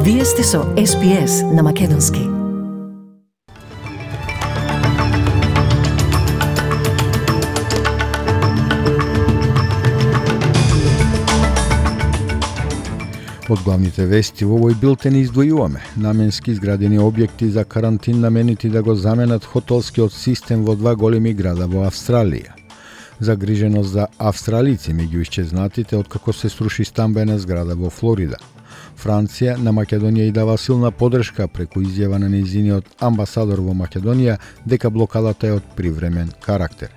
Вие сте со SPS на Македонски. Од главните вести во овој билтен издвојуваме наменски изградени објекти за карантин наменити да го заменат хотелскиот систем во два големи града во Австралија. Загриженост за австралици меѓу исчезнатите откако се сруши стамбена зграда во Флорида. Франција на Македонија и дава силна поддршка преку изјава на нејзиниот амбасадор во Македонија дека блокадата е од привремен карактер.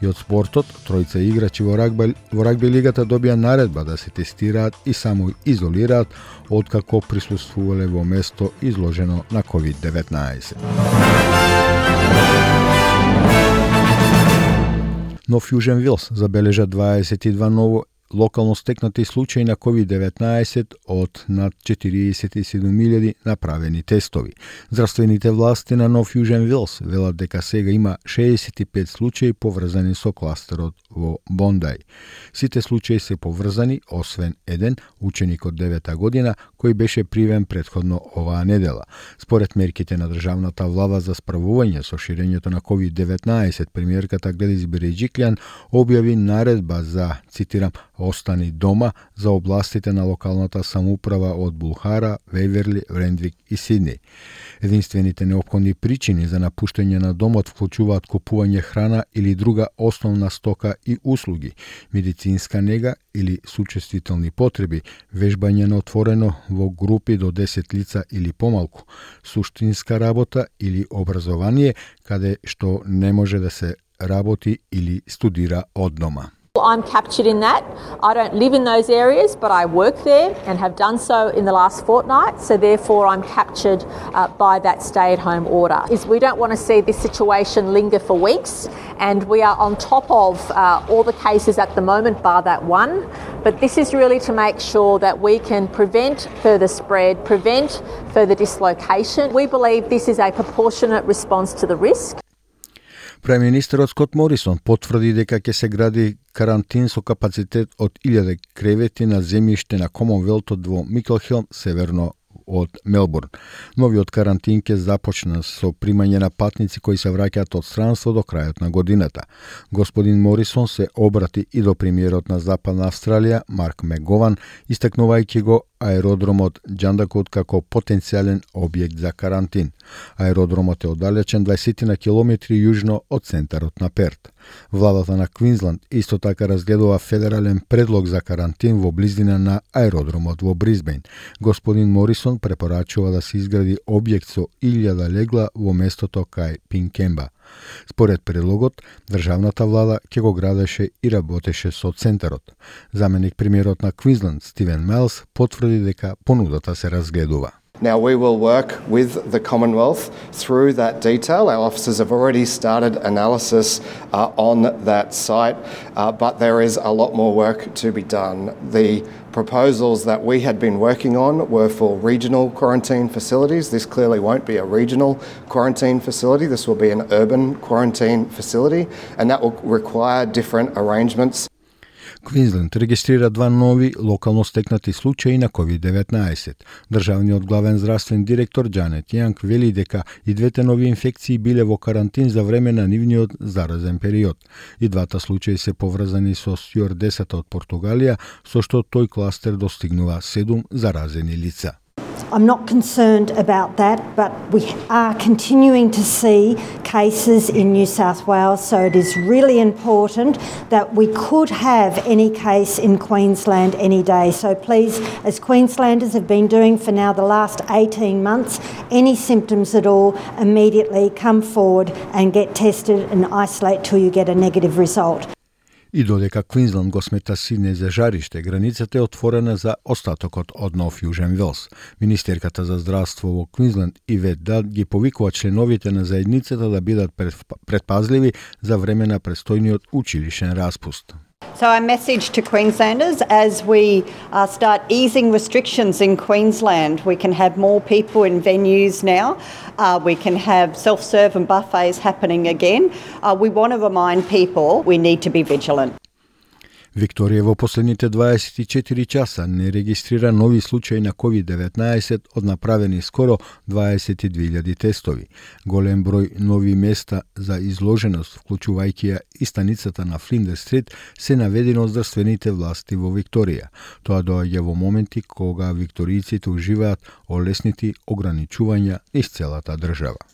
И од спортот, тројца играчи во рагби лигата добија наредба да се тестираат и само изолираат откако присуствувале во место изложено на COVID-19. Нов Јужен Вилс забележа 22 ново локално стекнати случаи на COVID-19 од над 47.000 направени тестови. Здравствените власти на Нов Јужен Вилс велат дека сега има 65 случаи поврзани со кластерот во Бондај. Сите случаи се поврзани, освен еден, ученик од 9 година, кој беше привен претходно оваа недела. Според мерките на државната влада за справување со ширењето на COVID-19, премиерката Гледис Береџиклјан објави наредба за, цитирам, остани дома за областите на локалната самоуправа од Булхара, Вејверли, Рендвик и Сидни. Единствените неопходни причини за напуштање на домот вклучуваат купување храна или друга основна стока и услуги, медицинска нега или сучествителни потреби, вежбање на отворено во групи до 10 лица или помалку, суштинска работа или образование каде што не може да се работи или студира од дома. I'm captured in that. I don't live in those areas, but I work there and have done so in the last fortnight, so therefore I'm captured by that stay-at-home order. We don't want to see this situation linger for weeks, and we are on top of all the cases at the moment, bar that one, but this is really to make sure that we can prevent further spread, prevent further dislocation. We believe this is a proportionate response to the risk. Премиерот Скот Морисон потврди дека ќе се гради карантин со капацитет од 1000 кревети на земјиште на Комонвелтот во Миклхелм, северно од Мелбурн. Новиот карантин ќе започне со примање на патници кои се враќаат од странство до крајот на годината. Господин Морисон се обрати и до премиерот на Западна Австралија, Марк Мегован, истакнувајќи го аеродромот Џандакот како потенцијален објект за карантин. Аеродромот е оддалечен 20 на километри јужно од центарот на Перт. Владата на Квинсланд исто така разгледува федерален предлог за карантин во близина на аеродромот во Брисбејн. Господин Морисон препорачува да се изгради објект со 1000 легла во местото кај Пинкемба. Според предлогот, државната влада ќе го градеше и работеше со центарот. Заменик премиерот на Квинсланд Стивен Мелс потврди дека понудата се разгледува. Now we will work with the Commonwealth through that detail. Our officers have already started analysis on that site, but there is a lot more work to be done. The proposals that we had been working on were for regional quarantine facilities. This clearly won't be a regional quarantine facility. This will be an urban quarantine facility, and that will require different arrangements. Квинсленд регистрира 2 нови локално стекнати случаи на COVID-19. Државниот главен здравствен директор Џанет Јанг вели дека и двете нови инфекции биле во карантин за време на нивниот заразен период. И двата случаи се поврзани со стюардесата од Португалија, со што тој кластер достигнува 7 заразени лица. I'm not concerned about that, but we are continuing to see cases in New South Wales, so it is really important that we could have any case in Queensland any day. So please, as Queenslanders have been doing for now the last 18 months, any symptoms at all, immediately come forward and get tested and isolate till you get a negative result. И додека Квинсленд го смета Сиднеј за жариште, границата е отворена за остатокот од Нов Јужен Велс. Министерката за здравство во Квинсленд Ивет Дад ги повикува членовите на заедницата да бидат предпазливи за време на престојниот училишен распуст. So our message to Queenslanders, as we start easing restrictions in Queensland, we can have more people in venues now, we can have self-serve and buffets happening again. We want to remind people we need to be vigilant. Викторија во последните 24 часа не регистрира нови случаи на COVID-19 од направени скоро 22.000 тестови. Голем број нови места за изложеност, вклучувајќи ја и станицата на Флиндерс Стрит, се наведени од здравствените власти во Викторија. Тоа доаѓа во моменти кога викторијците уживаат олеснити ограничувања низ целата држава.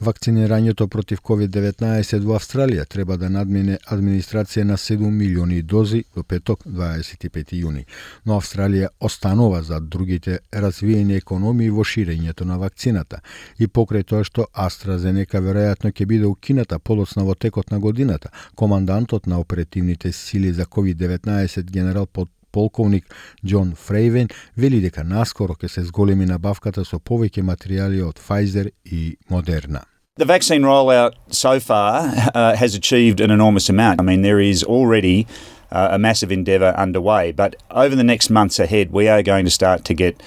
Вакцинирањето против COVID-19 во Австралија треба да надмине администрација на 7 милиони дози до петок 25 јуни, но Австралија останува за другите развиени економии во ширењето на вакцината и покрај тоа што AstraZeneca веројатно ќе биде укината подоцна во текот на годината. Командантот на оперативните сили за COVID-19 генерал полковник Џон Фрейвен вели дека наскоро ќе се зголеми набавката со повеќе материјали од Pfizer и Moderna. The vaccine rollout so far has achieved an enormous amount. I mean, there is already a massive endeavour underway, but over the next months ahead, we are going to start to get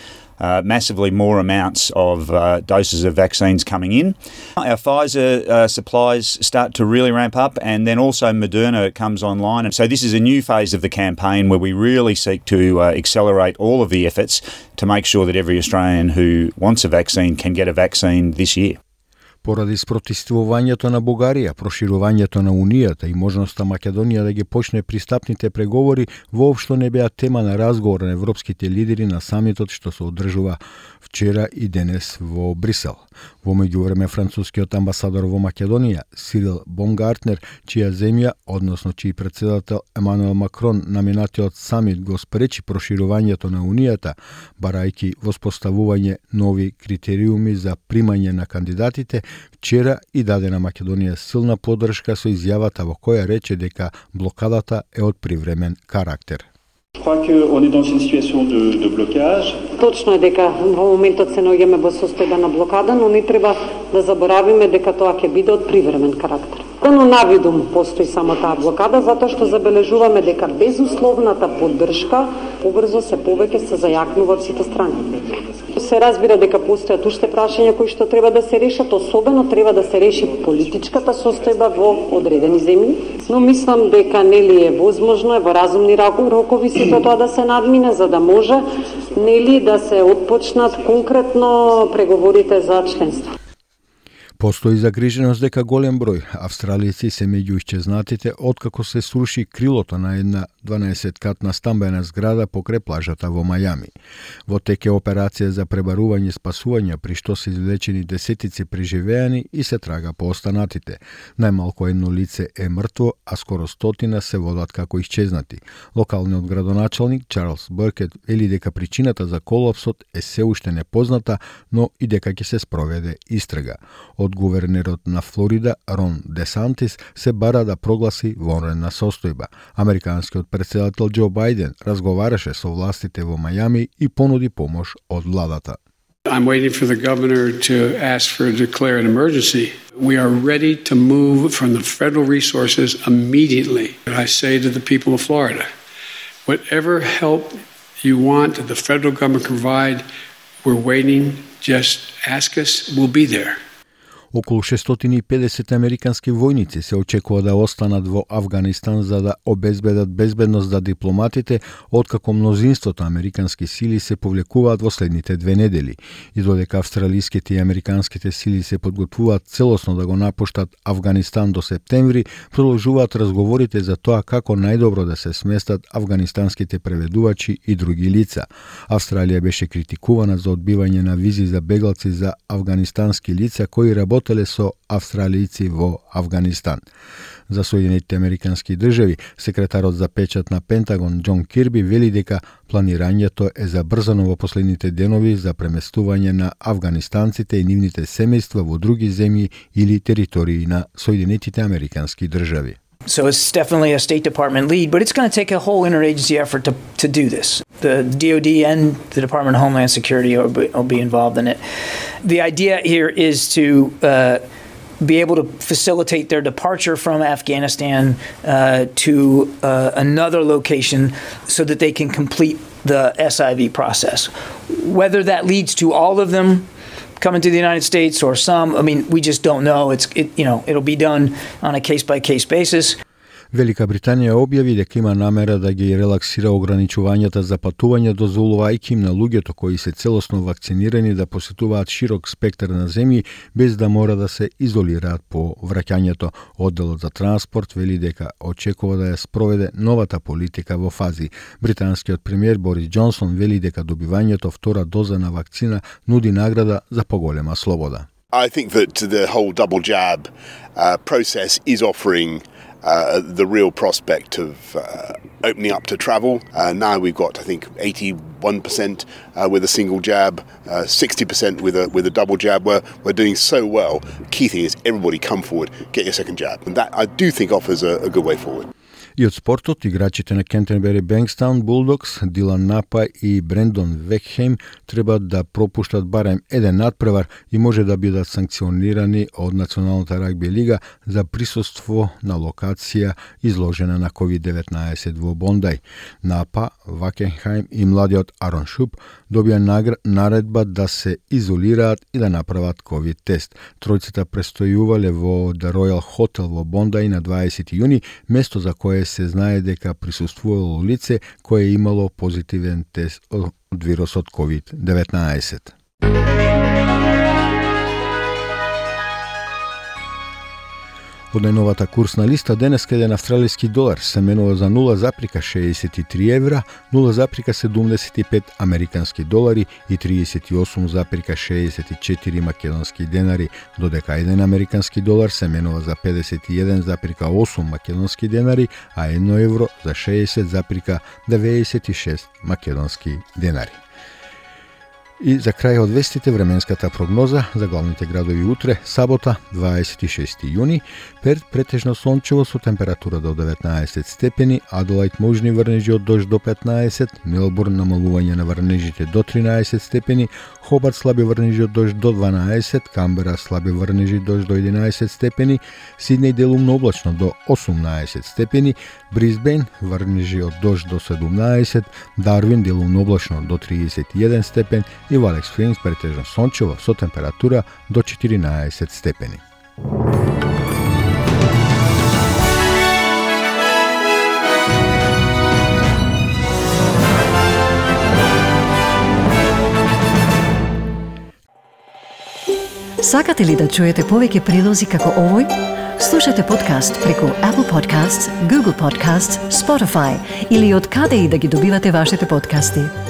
massively more amounts of doses of vaccines coming in. Our Pfizer supplies start to really ramp up, and then also Moderna comes online. And so this is a new phase of the campaign where we really seek to accelerate all of the efforts to make sure that every Australian who wants a vaccine can get a vaccine this year. Поради спротивувањето на Бугарија, проширувањето на Унијата и можноста Македонија да ги почне пристапните преговори воопшто не беа тема на разговор на европските лидери на самитот што се одржува вчера и денес во Брисел. Во меѓувреме францускиот амбасадор во Македонија, Сирил Бомгартнер, чија земја, односно чиј председател Емануел Макрон на минатиот самит го спречи проширувањето на Унијата, барајќи воспоставување нови критериуми за примање на кандидатите, вчера и даде на Македонија силна поддршка со изјавата во која рече дека блокадата е од привремен карактер. Точно е дека во моментот се наоѓаме во состојба на блокада, но не треба да заборавиме дека тоа ќе биде од привремен карактер. Но навидум постои само таа блокада, затоа што забележуваме дека безусловната поддршка побрзо се повеќе се зајакнува од сите страни. Се разбира дека постојат уште прашања кои што треба да се решат, особено треба да се реши политичката состојба во одредени земји, но мислам дека нели е возможно, во разумни рокови сето тоа да се надмине, за да може нели да се отпочнат конкретно преговорите за членство. Постои загриженост дека голем број австралијци се меѓу исчезнатите откако се сруши крилото на една 12-катна стамбена зграда покрај плажата во Мајами. Во тек е операција за пребарување и спасување, при што се извлечени десетици преживеани и се трага по останатите. Најмалку едно лице е мртво, а скоро 100 се водат како исчезнати. Локалниот градоначалник Чарлс Бъркет вели дека причината за колапсот е се уште непозната, но и дека ќе се спроведе истрага. Од гувернерот на Флорида Рон Десантис се бара да прогласи вонредна состојба. Американскиот председател Џо Бајден разговараше со властите во Мајами и понуди помош од владата. I'm waiting for the governor to ask for a declare an emergency. We are ready to move from the federal resources immediately. I say to the people of Florida, whatever help you want that the federal government can provide, we're waiting. Just ask us, we'll be there. Околу 650 американски војници се очекува да останат во Авганистан за да обезбедат безбедност за дипломатите, откако мнозинството американски сили се повлекуваат во следните 2 недели. И додека австралиските и американските сили се подготвуваат целосно да го напуштат Авганистан до септември, продолжуваат разговорите за тоа како најдобро да се сместат афганистанските преведувачи и други лица. Австралија беше критикувана за одбивање на визи за бегалци за афганистански лица кои работеле со австралијци во Авганистан. За Соединетите американски држави, секретарот за печат на Пентагон Џон Кирби вели дека планирањето е забрзано во последните денови за преместување на афганистанците и нивните семејства во други земји или територии на Соединетите американски држави. So it's definitely a State Department lead, but it's going to take a whole interagency effort to do this. The DoD and the Department of Homeland Security will be involved in it. The idea here is to be able to facilitate their departure from Afghanistan to another location so that they can complete the SIV process. Whether that leads to all of them coming to the United States or some, I mean, we just don't know. It'll be done on a case-by-case basis. Велика Британија објави дека има намера да ги релаксира ограничувањата за патување, дозволувајќи им на луѓето кои се целосно вакцинирани да посетуваат широк спектар на земји без да мора да се изолираат по враќањето. Одделот за транспорт вели дека очекува да ја спроведе новата политика во фази. Британскиот премиер Борис Џонсон вели дека добивањето втора доза на вакцина нуди награда за поголема слобода. I think that the whole double jab process is offering the real prospect of opening up to travel. Now we've got, I think, 81% with a single jab, 60% with a double jab. We're doing so well. Key thing is everybody come forward, get your second jab. And that I do think offers a good way forward. И од спортот, играчите на Кентербери Бенкстаун Булдокс, Дилан Напа и Брендон Векхейм треба да пропуштат барем еден надпревар и може да бидат санкционирани од Националната рагби лига за присуство на локација изложена на COVID-19 во Бондај. Напа, Вакенхајм и младиот Арон Шуп добија наредба да се изолираат и да направат COVID тест. Тројцата престојувале во The Royal Hotel во Бондај на 20 јуни, место за кое се знае дека присуствувало лице кое имало позитивен тест од вирусот COVID-19. Од најновата курсна листа денеска еден австралиски долар се менува за 0,63 евра, 0,75 американски долари и 38,64 македонски денари, додека еден американски долар се менува за 51,8 македонски денари, а 1 евро за 60,96 македонски денари. И за крај од вестите временската прогноза за главните градови утре, сабота, 26 јуни, Перт претежно сончево со температура до 19 степени, Аделајд можни врнежи од дожд до 15, Мелбурн намалување на врнежите до 13 степени, Хобарт слаби врнежи од дожд до 12, Камбера слаби врнежи дожд до 11 степени, Сиднеј делумно облачно до 18 степени, Брисбејн врнежи од дожд до 17, Дарвин делумно облачно до 31 степен и во Алекс Спрингс претежно сончево со температура до 14 степени. Сакате ли да чуете повеќе прилози како овој? Слушате подкаст преку Apple Podcasts, Google Podcasts, Spotify или од каде и да ги добивате вашите подкасти.